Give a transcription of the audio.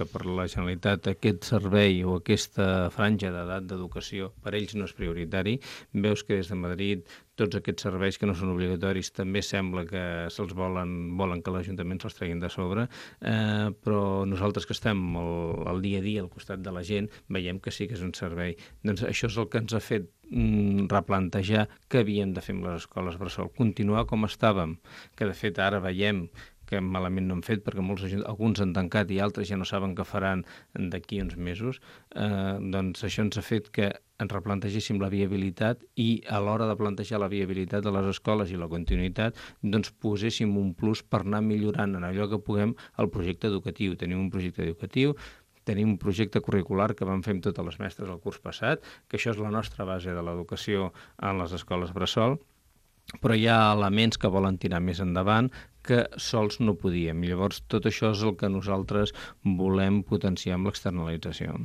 que per la Generalitat aquest servei o aquesta franja d'edat d'educació per ells no és prioritari. Veus que des de Madrid tots aquests serveis que no són obligatoris també sembla que se'ls volen que l'Ajuntament se'ls treguin de sobre, però nosaltres que estem al dia a dia al costat de la gent veiem que sí que és un servei. Doncs això és el que ens ha fet replantejar què havíem de fer amb les escoles bressol, continuar com estàvem, que de fet ara veiem que malament no han fet perquè alguns han tancat i altres ja no saben què faran d'aquí uns mesos, doncs això ens ha fet que ens replantegéssim la viabilitat i a l'hora de plantejar la viabilitat de les escoles i la continuïtat, doncs poséssim un plus per anar millorant en allò que puguem el projecte educatiu. Tenim un projecte educatiu, tenim un projecte curricular que vam fer amb totes les mestres el curs passat, que això és la nostra base de l'educació en les escoles bressol, però hi ha elements que volen tirar més endavant que sols no podíem. I llavors tot això és el que nosaltres volem potenciar amb l'externalització.